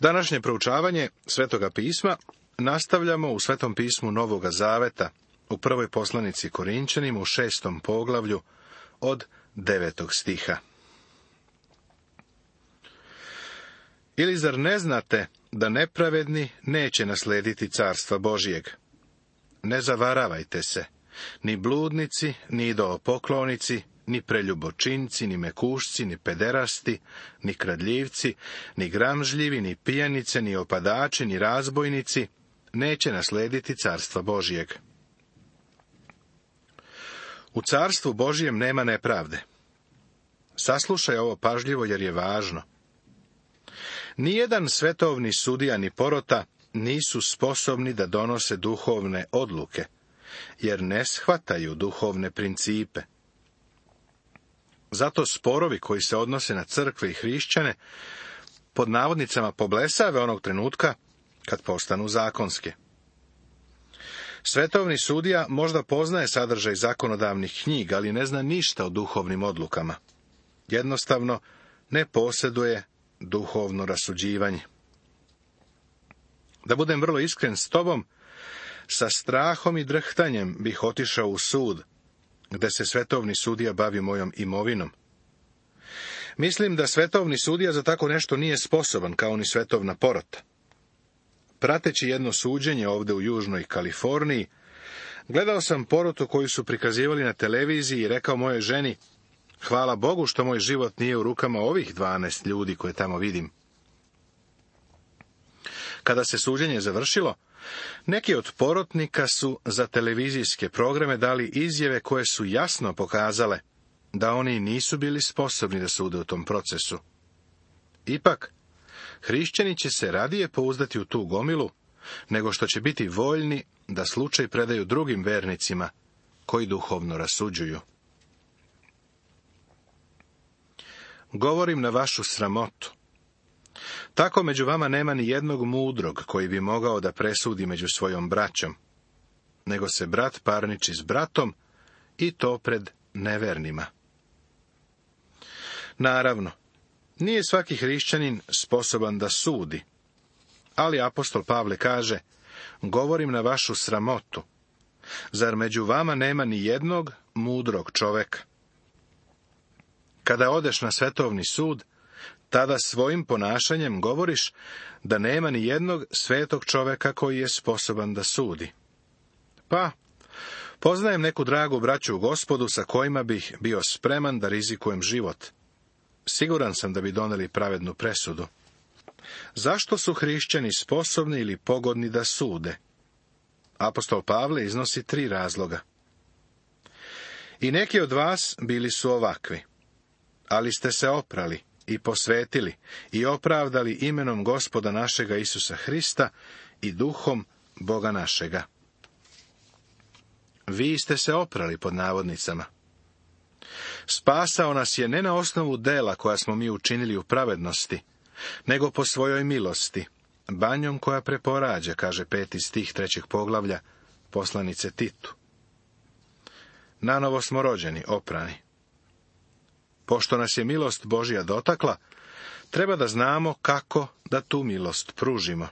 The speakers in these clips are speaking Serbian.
Današnje proučavanje Svetoga pisma nastavljamo u Svetom pismu Novoga Zaveta, u prvoj poslanici Korinćanima u 6. poglavlju od 9. stiha. Ili zar ne znate da nepravedni neće naslediti carstva Božijeg? Ne zavaravajte se, ni bludnici, ni idolopoklonici, ni preljubočinci, ni mekušci, ni pederasti, ni kradljivci, ni gramžljivi, ni pijanice, ni opadači, ni razbojnici neće naslediti carstva Božijeg. U carstvu Božijem nema nepravde. Saslušaj ovo pažljivo jer je važno. Nijedan svetovni sudija ni porota nisu sposobni da donose duhovne odluke, jer ne shvataju duhovne principe. Zato sporovi koji se odnose na crkve i hrišćane pod navodnicama poblesave onog trenutka kad postanu zakonske. Svetovni sudija možda poznaje sadržaj zakonodavnih knjiga, ali ne zna ništa o duhovnim odlukama. Jednostavno ne posjeduje duhovno rasuđivanje. Da budem vrlo iskren s tobom, sa strahom i drhtanjem bih otišao u sud, gde se svetovni sudija bavi mojom imovinom. Mislim da svetovni sudija za tako nešto nije sposoban, kao ni svetovna porota. Prateći jedno suđenje ovde u Južnoj Kaliforniji, gledao sam porotu koju su prikazivali na televiziji i rekao mojoj ženi: hvala Bogu što moj život nije u rukama ovih 12 ljudi koje tamo vidim. Kada se suđenje završilo, neki od porotnika su za televizijske programe dali izjave koje su jasno pokazale da oni nisu bili sposobni da sude u tom procesu. Ipak, hrišćani će se radije pouzdati u tu gomilu, nego što će biti voljni da slučaj predaju drugim vernicima koji duhovno rasuđuju. Govorim na vašu sramotu. Tako među vama nema ni jednog mudrog koji bi mogao da presudi među svojom braćom, nego se brat parniči s bratom i to pred nevernima. Naravno, nije svaki hrišćanin sposoban da sudi, ali apostol Pavle kaže: govorim na vašu sramotu. Zar među vama nema ni jednog mudrog čoveka? Kada odeš na svetovni sud, tada svojim ponašanjem govoriš da nema ni jednog svetog čoveka koji je sposoban da sudi. Pa, poznajem neku dragu braću u Gospodu sa kojima bih bio spreman da rizikujem život. Siguran sam da bi doneli pravednu presudu. Zašto su hrišćani sposobni ili pogodni da sude? Apostol Pavle iznosi 3 razloga. I neki od vas bili su ovakvi, ali ste se oprali i posvetili i opravdali imenom Gospoda našega Isusa Hrista i duhom Boga našega. Vi ste se oprali pod navodnicama. Spasao nas je ne na osnovu dela koja smo mi učinili u pravednosti, nego po svojoj milosti, banjom koja preporađa, kaže 5. stih 3. poglavlja poslanice Titu. Nanovo smo rođeni, oprani. Pošto nas je milost Božja dotakla, treba da znamo kako da tu milost pružimo.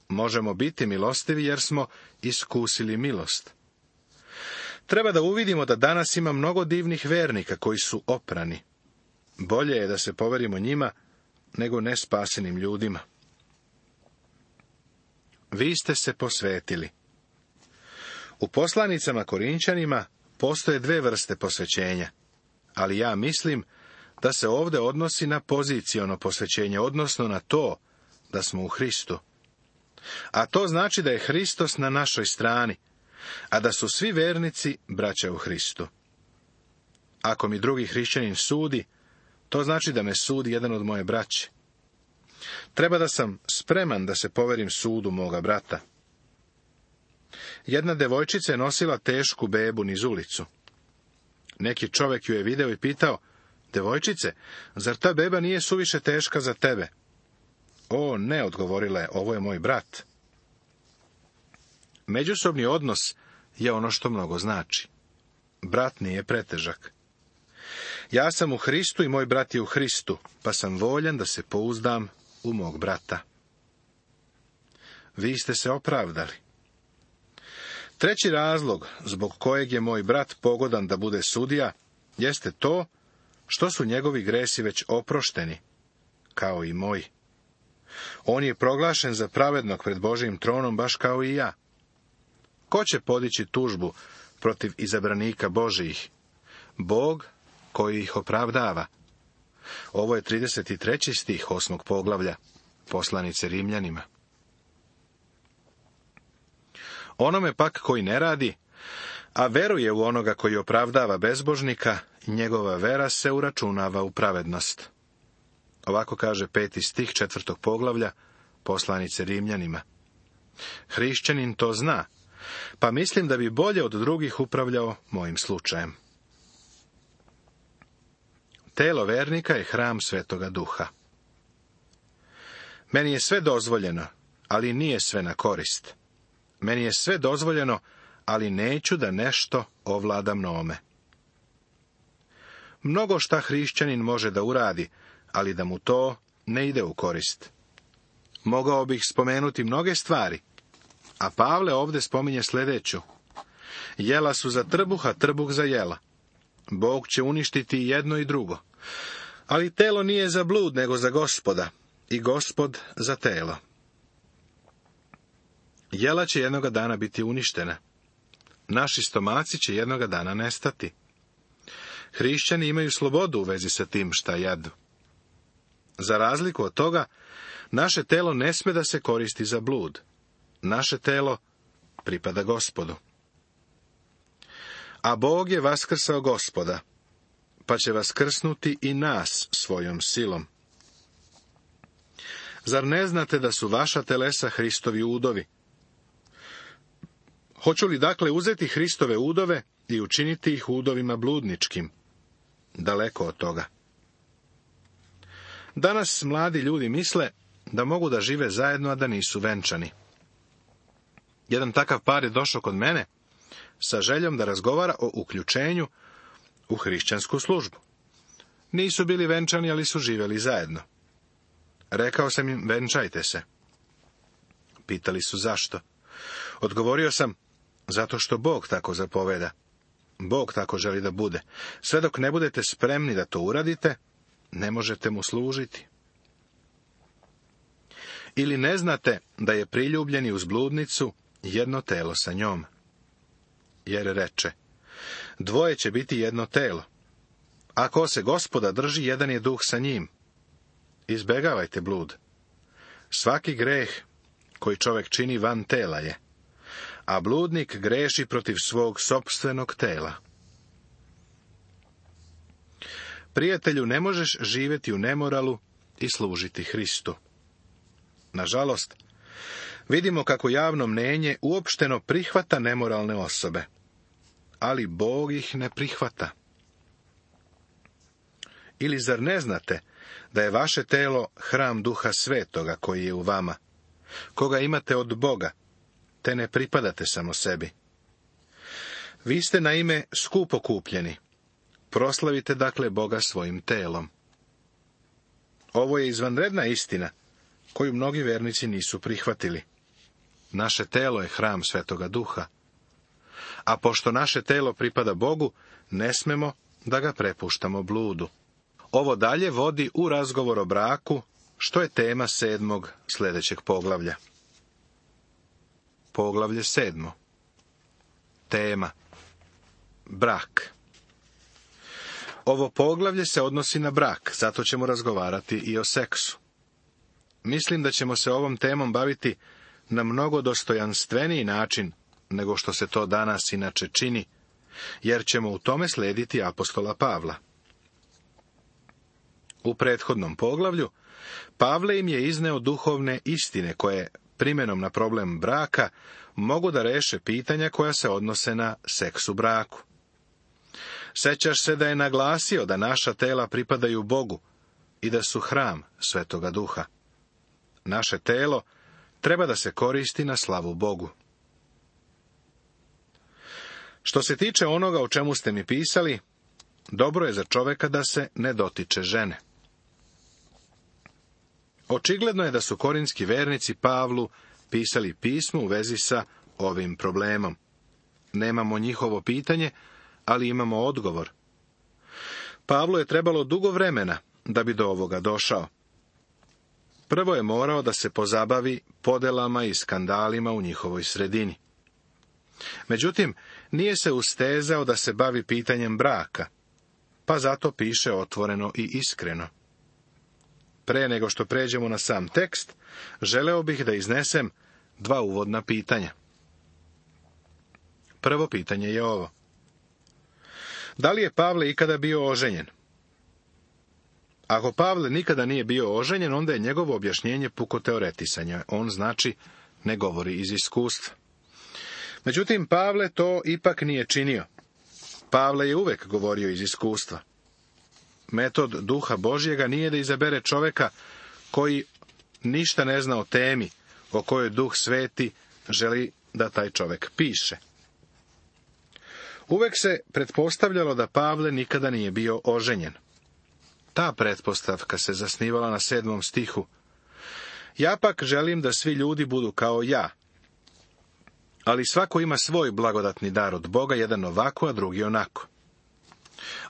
Možemo biti milostivi jer smo iskusili milost. Treba da uvidimo da danas ima mnogo divnih vernika koji su oprani. Bolje je da se poverimo njima nego nespasenim ljudima. Vi ste se posvetili. U poslanicama Korinćanima postoje 2 vrste posvećenja, ali ja mislim da se ovde odnosi na poziciono posvećenje, odnosno na to da smo u Hristu. A to znači da je Hristos na našoj strani, a da su svi vernici braća u Hristu. Ako mi drugi hrišćanin sudi, to znači da me sudi jedan od moje braće. Treba da sam spreman da se poverim sudu moga brata. Jedna devojčica je nosila tešku bebu niz ulicu. Neki čovek ju je video i pitao: devojčice, zar ta beba nije suviše teška za tebe? O, ne, odgovorila je, ovo je moj brat. Međusobni odnos je ono što mnogo znači. Brat nije pretežak. Ja sam u Hristu i moj brat je u Hristu, pa sam voljan da se pouzdam u mog brata. Vi ste se opravdali. Treći razlog zbog kojeg je moj brat pogodan da bude sudija, jeste to što su njegovi gresi već oprošteni, kao i moji. On je proglašen za pravednog pred Božjim tronom, baš kao i ja. Ko će podići tužbu protiv izabranika Božijih? Bog koji ih opravdava. Ovo je 33. stih 8. poglavlja poslanice Rimljanima. Onome pak koji ne radi, a veruje u onoga koji opravdava bezbožnika, njegova vera se uračunava u pravednost. Ovako kaže 5. stih 4. poglavlja poslanice Rimljanima. Hrišćanin to zna, pa mislim da bi bolje od drugih upravljao mojim slučajem. Telo vernika je hram Svetoga Duha. Meni je sve dozvoljeno, ali nije sve na korist. Meni je sve dozvoljeno, ali neću da nešto ovlada mnome. Mnogo šta hrišćanin može da uradi, ali da mu to ne ide u korist. Mogao bih spomenuti mnoge stvari, a Pavle ovdje spominje sljedeću. Jela su za trbuh, a trbuh za jela. Bog će uništiti jedno i drugo. Ali telo nije za blud, nego za Gospoda, i Gospod za telo. Jela će jednoga dana biti uništena. Naši stomaci će jednoga dana nestati. Hrišćani imaju slobodu u vezi sa tim šta jedu. Za razliku od toga, naše telo ne sme da se koristi za blud. Naše telo pripada Gospodu. A Bog je vaskrsao Gospoda, pa će vaskrsnuti i nas svojom silom. Zar ne znate da su vaša telesa Hristovi udovi? Hoću li dakle uzeti Hristove udove i učiniti ih udovima bludničkim? Daleko od toga. Danas mladi ljudi misle da mogu da žive zajedno, a da nisu venčani. Jedan takav par je došao kod mene sa željom da razgovara o uključenju u hrišćansku službu. Nisu bili venčani, ali su živjeli zajedno. Rekao sam im, venčajte se. Pitali su zašto. Odgovorio sam, zato što Bog tako zapoveda. Bog tako želi da bude. Sve dok ne budete spremni da to uradite, ne možete mu služiti. Ili ne znate da je priljubljeni uz bludnicu jedno telo sa njom? Jer reče, dvoje će biti jedno telo. Ako se Gospoda drži, jedan je duh sa njim. Izbegavajte blud. Svaki greh koji čovjek čini van tela je, a bludnik greši protiv svog sopstvenog tela. Prijatelju, ne možeš živjeti u nemoralu i služiti Hristu. Nažalost, vidimo kako javno mnenje uopšteno prihvata nemoralne osobe, ali Bog ih ne prihvata. Ili zar ne znate da je vaše telo hram Duha Svetoga koji je u vama, koga imate od Boga, te ne pripadate samo sebi? Vi ste naime skupo kupljeni. Proslavite dakle Boga svojim telom. Ovo je izvanredna istina, koju mnogi vernici nisu prihvatili. Naše telo je hram Svetoga Duha. A pošto naše telo pripada Bogu, ne smemo da ga prepuštamo bludu. Ovo dalje vodi u razgovor o braku, što je tema 7. sljedećeg poglavlja. Poglavlje 7. Tema. Brak. Ovo poglavlje se odnosi na brak, zato ćemo razgovarati i o seksu. Mislim da ćemo se ovom temom baviti na mnogo dostojanstveniji način nego što se to danas inače čini, jer ćemo u tome slijediti apostola Pavla. U prethodnom poglavlju Pavle im je izneo duhovne istine koje, primjenom na problem braka, mogu da reše pitanja koja se odnose na seks u braku. Sećaš se da je naglasio da naša tela pripadaju Bogu i da su hram Svetoga Duha. Naše telo treba da se koristi na slavu Bogu. Što se tiče onoga o čemu ste mi pisali, dobro je za čoveka da se ne dotiče žene. Očigledno je da su korinski vernici Pavlu pisali pismo u vezi sa ovim problemom. Nemamo njihovo pitanje, ali imamo odgovor. Pavlu je trebalo dugo vremena da bi do ovoga došao. Prvo je morao da se pozabavi podelama i skandalima u njihovoj sredini. Međutim, nije se ustezao da se bavi pitanjem braka, pa zato piše otvoreno i iskreno. Pre nego što pređemo na sam tekst, želeo bih da iznesem 2 uvodna pitanja. Prvo pitanje je ovo. Da li je Pavle ikada bio oženjen? Ako Pavle nikada nije bio oženjen, onda je njegovo objašnjenje puko teoretisanje. On znači ne govori iz iskustva. Međutim, Pavle to ipak nije činio. Pavle je uvek govorio iz iskustva. Metod Duha Božjega nije da izabere čoveka koji ništa ne zna o temi o kojoj Duh Sveti želi da taj čovek piše. Uvek se pretpostavljalo da Pavle nikada nije bio oženjen. Ta pretpostavka se zasnivala na 7. stihu. Ja pak želim da svi ljudi budu kao ja. Ali svako ima svoj blagodatni dar od Boga, jedan ovako, a drugi onako.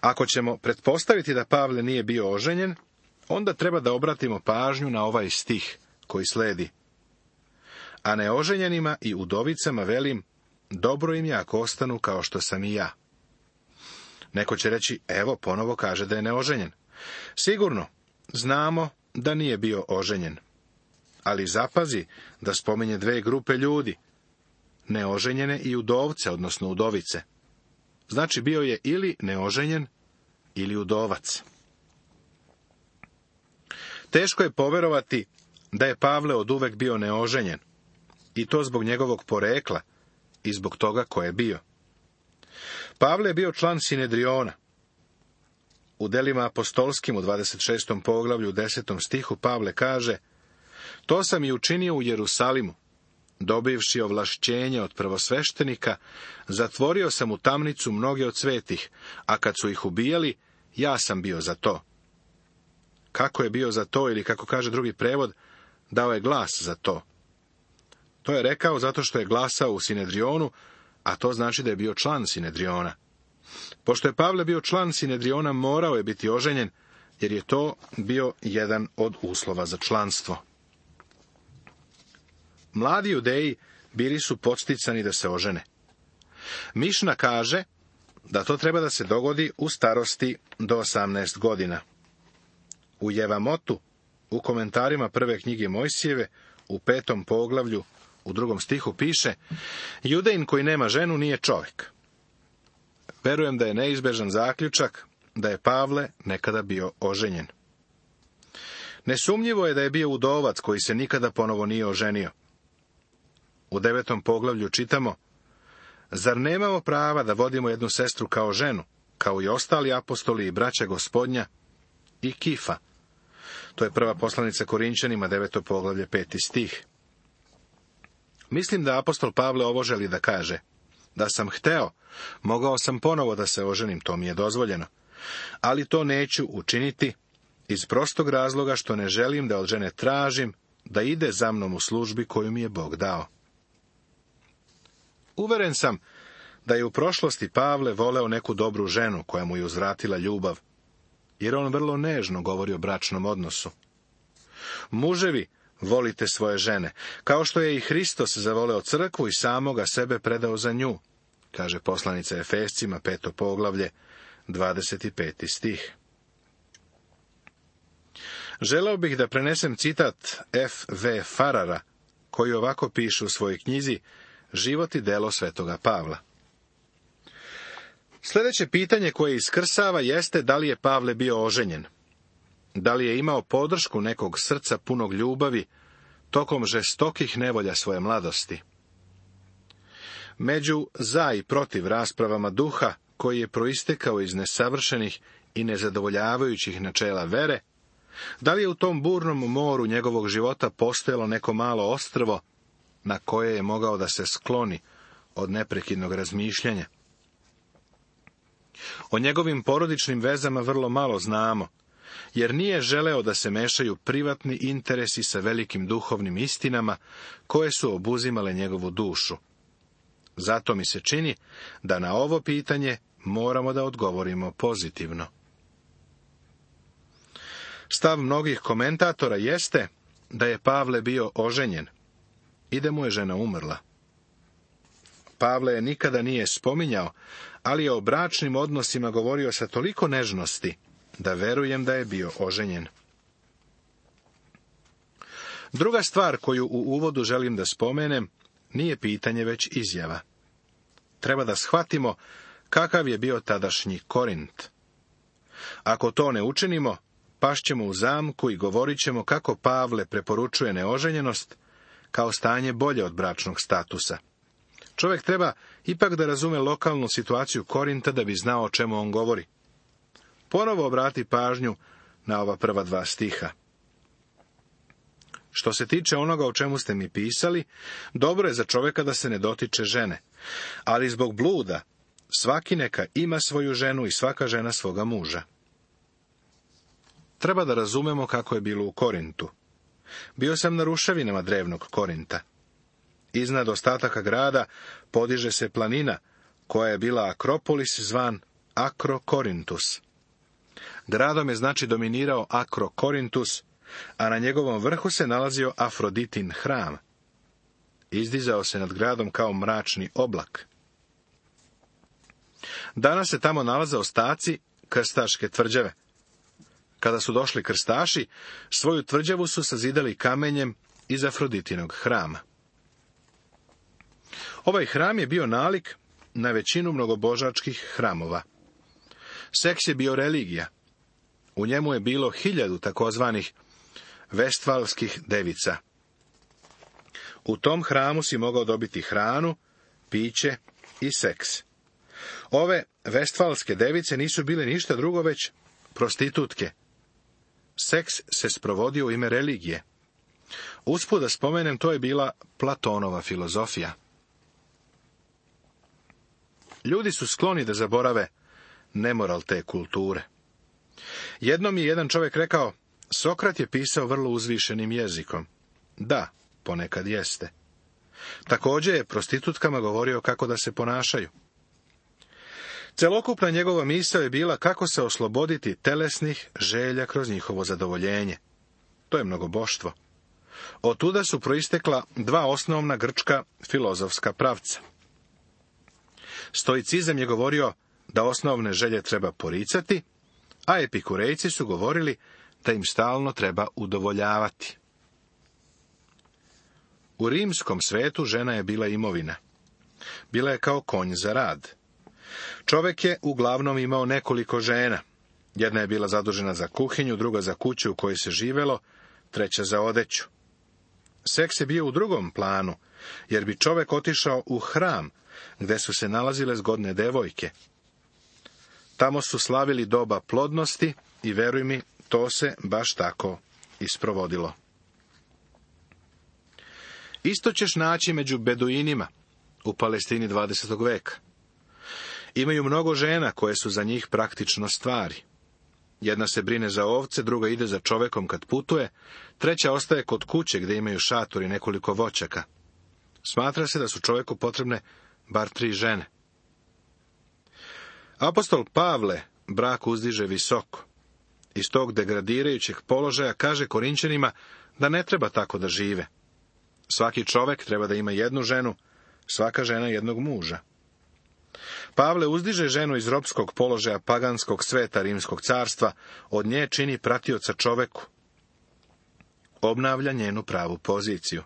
Ako ćemo pretpostaviti da Pavle nije bio oženjen, onda treba da obratimo pažnju na ovaj stih koji sledi. A neoženjenima i udovicama velim, dobro im je ako ostanu kao što sam i ja. Neko će reći, evo, ponovo kaže da je neoženjen. Sigurno, znamo da nije bio oženjen. Ali zapazi da spominje 2 grupe ljudi, neoženjene i udovce, odnosno udovice. Znači bio je ili neoženjen, ili udovac. Teško je poverovati da je Pavle oduvek bio neoženjen, i to zbog njegovog porekla i zbog toga ko je bio. Pavle je bio član Sinedriona. U delima apostolskim u 26. poglavlju u 10. stihu Pavle kaže: to sam i učinio u Jerusalimu, dobivši ovlašćenje od prvosveštenika, zatvorio sam u tamnicu mnoge od svetih, a kad su ih ubijali, ja sam bio za to. Kako je bio za to, ili kako kaže drugi prevod, dao je glas za to. To je rekao zato što je glasao u Sinedrionu, a to znači da je bio član Sinedriona. Pošto je Pavle bio član Sinedriona, morao je biti oženjen, jer je to bio jedan od uslova za članstvo. Mladi Judeji bili su podsticani da se ožene. Mišna kaže da to treba da se dogodi u starosti do 18 godina. U Jevamotu, u komentarima prve knjige Mojsijeve, u 5. poglavlju, u 2. stihu piše: Judejin koji nema ženu nije čovjek. Verujem da je neizbežan zaključak da je Pavle nekada bio oženjen. Nesumnjivo je da je bio udovac koji se nikada ponovo nije oženio. U 9. poglavlju čitamo: zar nemamo prava da vodimo jednu sestru kao ženu, kao i ostali apostoli i braća Gospodnja, i Kifa? To je prva poslanica Korinčanima, 9. poglavlje, 5. stih. Mislim da apostol Pavle ovo želi da kaže: da sam hteo, mogao sam ponovo da se oženim, to mi je dozvoljeno. Ali to neću učiniti iz prostog razloga što ne želim da od žene tražim da ide za mnom u službi koju mi je Bog dao. Uveren sam da je u prošlosti Pavle voleo neku dobru ženu koja mu je uzvratila ljubav, jer on vrlo nežno govori o bračnom odnosu. Muževi, volite svoje žene, kao što je i Hristos zavoleo crkvu i samoga sebe predao za nju, kaže poslanica Efescima, 5. poglavlje, 25. stih. Želeo bih da prenesem citat F.V. Farara, koji ovako piše u svojoj knjizi Život i delo svetoga Pavla. Sljedeće pitanje koje iskrsava jeste da li je Pavle bio oženjen. Da li je imao podršku nekog srca punog ljubavi tokom žestokih nevolja svoje mladosti. Među za i protiv raspravama duha, koji je proistekao iz nesavršenih i nezadovoljavajućih načela vere, da li je u tom burnom moru njegovog života postojalo neko malo ostrvo na koje je mogao da se skloni od neprekidnog razmišljanja? O njegovim porodičnim vezama vrlo malo znamo, jer nije želeo da se mešaju privatni interesi sa velikim duhovnim istinama koje su obuzimale njegovu dušu. Zato mi se čini da na ovo pitanje moramo da odgovorimo pozitivno. Stav mnogih komentatora jeste da je Pavle bio oženjen i da mu je žena umrla. Pavle je nikada nije spominjao, ali je o bračnim odnosima govorio sa toliko nežnosti da verujem da je bio oženjen. Druga stvar koju u uvodu želim da spomenem nije pitanje, već izjava. Treba da shvatimo kakav je bio tadašnji Korint. Ako to ne učinimo, pašćemo u zamku i govorit ćemo kako Pavle preporučuje neoženjenost kao stanje bolje od bračnog statusa. Čovjek treba ipak da razume lokalnu situaciju Korinta da bi znao o čemu on govori. Ponovo obrati pažnju na ova prva 2 stiha. Što se tiče onoga o čemu ste mi pisali, dobro je za čovjeka da se ne dotiče žene, ali zbog bluda svaki neka ima svoju ženu i svaka žena svoga muža. Treba da razumemo kako je bilo u Korintu. Bio sam na ruševinama drevnog Korinta. Iznad ostataka grada podiže se planina, koja je bila Akropolis, zvan Akrokorintus. Gradom je znači dominirao Akrokorintus, a na njegovom vrhu se nalazio Afroditin hram. Izdizao se nad gradom kao mračni oblak. Danas se tamo nalaze ostaci krstaške tvrđave. Kada su došli krstaši, svoju tvrđavu su sazidali kamenjem iz Afroditinog hrama. Ovaj hram je bio nalik na većinu mnogobožačkih hramova. Seks je bio religija. U njemu je bilo 1000 takozvanih vestfalskih devica. U tom hramu si mogao dobiti hranu, piće i seks. Ove vestfalske device nisu bile ništa drugo već prostitutke. Seks se sprovodio u ime religije. Usput da spomenem, to je bila Platonova filozofija. Ljudi su skloni da zaborave nemoral te kulture. Jednom je jedan čovjek rekao, Sokrat je pisao vrlo uzvišenim jezikom. Da, ponekad jeste. Također je prostitutkama govorio kako da se ponašaju. Celokupna njegova misao je bila kako se osloboditi telesnih želja kroz njihovo zadovoljenje. To je mnogoboštvo. Otuda su proistekla 2 osnovna grčka filozofska pravca. Stoicizam je govorio da osnovne želje treba poricati, a epikurejci su govorili da im stalno treba udovoljavati. U rimskom svetu žena je bila imovina. Bila je kao konj za rad. Čovjek je uglavnom imao nekoliko žena. Jedna je bila zadužena za kuhinju, druga za kuću u kojoj se živelo, treća za odeću. Seks je bio u drugom planu, jer bi čovjek otišao u hram, gde su se nalazile zgodne devojke. Tamo su slavili doba plodnosti i, veruj mi, to se baš tako isprovodilo. Isto ćeš naći među beduinima u Palestini 20. veka. Imaju mnogo žena koje su za njih praktično stvari. Jedna se brine za ovce, druga ide za čovekom kad putuje, treća ostaje kod kuće gdje imaju šator i nekoliko voćaka. Smatra se da su čoveku potrebne bar 3 žene. Apostol Pavle brak uzdiže visoko. Iz tog degradirajućeg položaja kaže Korinćanima da ne treba tako da žive. Svaki čovek treba da ima 1 ženu, svaka žena 1 muža. Pavle uzdiže ženu iz ropskog položaja paganskog sveta rimskog carstva, od nje čini pratioca čoveku. Obnavlja njenu pravu poziciju.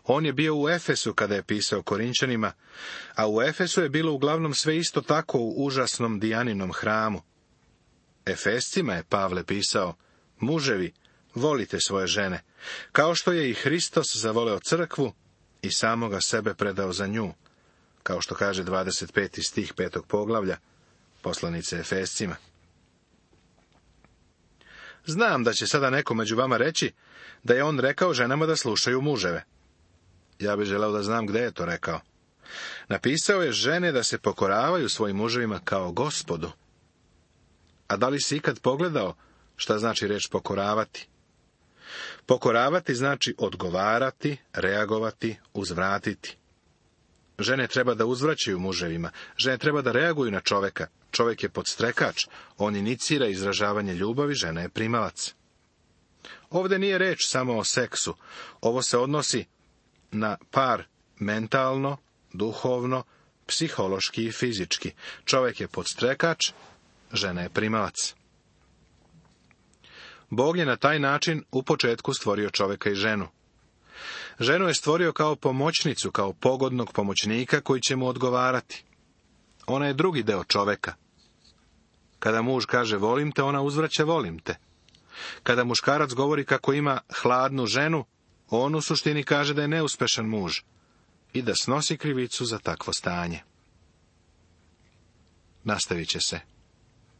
On je bio u Efesu kada je pisao Korinćanima, a u Efesu je bilo uglavnom sve isto tako u užasnom Dijaninom hramu. Efescima je Pavle pisao, muževi, volite svoje žene, kao što je i Hristos zavoleo crkvu i samoga sebe predao za nju, kao što kaže 25. stih 5. poglavlja poslanice Efescima. Znam da će sada neko među vama reći da je on rekao ženama da slušaju muževe. Ja bih želeo da znam gde je to rekao. Napisao je žene da se pokoravaju svojim muževima kao Gospodu. A da li si ikad pogledao Šta znači riječ pokoravati? Pokoravati znači odgovarati, reagovati, uzvratiti. Žene treba da uzvraćaju muževima, žene treba da reaguju na čoveka. Čovjek je podstrekač, on inicira izražavanje ljubavi, žena je primalac. Ovdje nije reč samo o seksu, ovo se odnosi na par mentalno, duhovno, psihološki i fizički. Čovjek je podstrekač, žena je primalac. Bog je na taj način u početku stvorio čovjeka i ženu. Ženu je stvorio kao pomoćnicu, kao pogodnog pomoćnika koji će mu odgovarati. Ona je drugi deo čovjeka. Kada muž kaže volim te, ona uzvraća volim te. Kada muškarac govori kako ima hladnu ženu, on u suštini kaže da je neuspešan muž i da snosi krivicu za takvo stanje. Nastavit će se.